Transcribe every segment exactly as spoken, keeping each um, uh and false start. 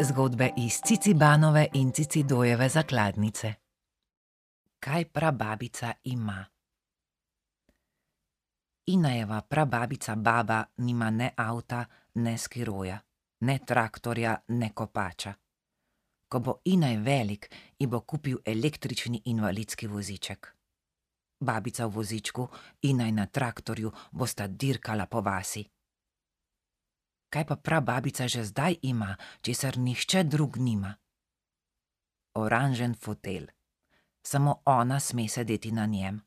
Zgodbe iz Cicibanove in Cicidojeve zakladnice. Kaj prababica ima? Inajeva prababica baba nima ne avta, ne skiroja, ne traktorja, ne kopača. Ko bo Inaj velik, ji bo kupil električni invalidski voziček. Babica v vozičku, Inaj na traktorju bosta dirkala po vasi. Kaj pa prababica že zdaj ima, česar nihče drug nima? Oranžen fotelj. Samo ona sme sedeti na njem.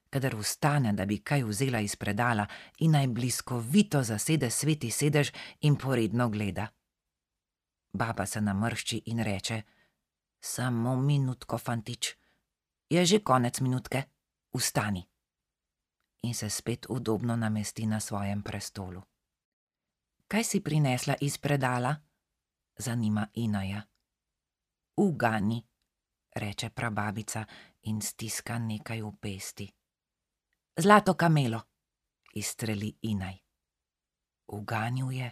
Kadar vstane, da bi kaj vzela iz predala, Inaj bliskovito zasede sveti sedež in poredno gleda. Baba se namršči in reče: "Samo minutko, fantič. Je že konec minutke. Vstani." In se spet udobno namesti na svojem prestolu. "Kaj si prinesla iz predala?" zanima Inaja. "Ugani," reče prababica in stiska nekaj v pesti. "Zlato kamelo," izstreli Inaj. Uganil je.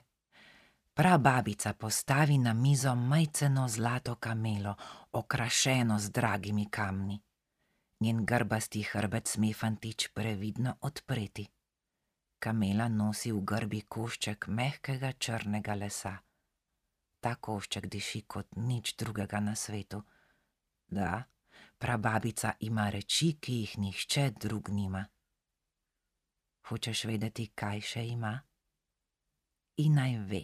Prababica postavi na mizo majceno zlato kamelo, okrašeno z dragimi kamni. Njen grbasti hrbet sme fantič previdno odpreti. Kamela nosi v grbi košček mehkega črnega lesa. Ta košček diši kot nič drugega na svetu. Da, prababica ima reči, ki jih nihče drug nima. Hočeš vedeti, kaj še ima? Inaj ve.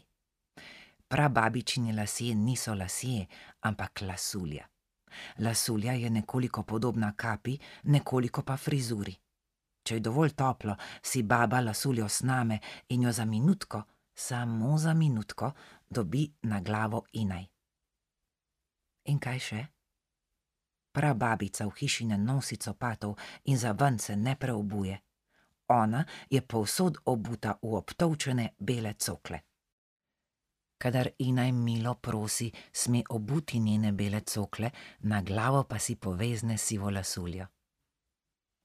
Prababičini lasje niso lasje, ampak lasulja. Lasulja je nekoliko podobna kapi, nekoliko pa frizuri. Če je dovolj toplo, si baba lasuljo sname in jo za minutko, samo za minutko, dobi na glavo Inaj. In kaj še? Prababica v hiši ne nosi copatov in za ven se ne preobuje. Ona je povsod obuta v obtolčene bele cokle. Kadar Inaj milo prosi, sme obuti njene bele cokle, na glavo pa si povezne sivo lasuljo.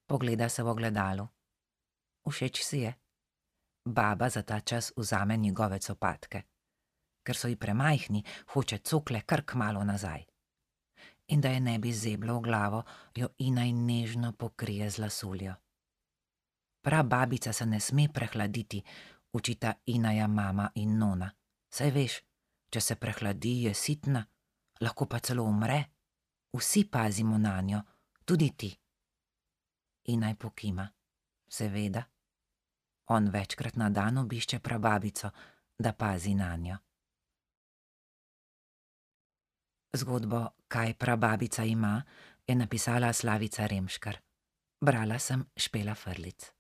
Pogleda se v ogledalu. Všeč si je. Baba za ta čas vzame njegove copatke. Ker so ji premajhni, hoče cokle kar kmalu nazaj. In da je ne bi zeblo v glavo, jo Inaj nežno pokrije z lasuljo. Prababica se ne sme prehladiti, učita Inaja mama in nona. Saj veš, če se prehladi, je sitna, lahko pa celo umre. Vsi pazimo nanjo, tudi ti. Inaj pokima. Seveda. On večkrat na dan obišče prababico, da pazi nanjo. Zgodbo Kaj prababica ima je napisala Slavica Remškar. Brala sem Špela Frlic.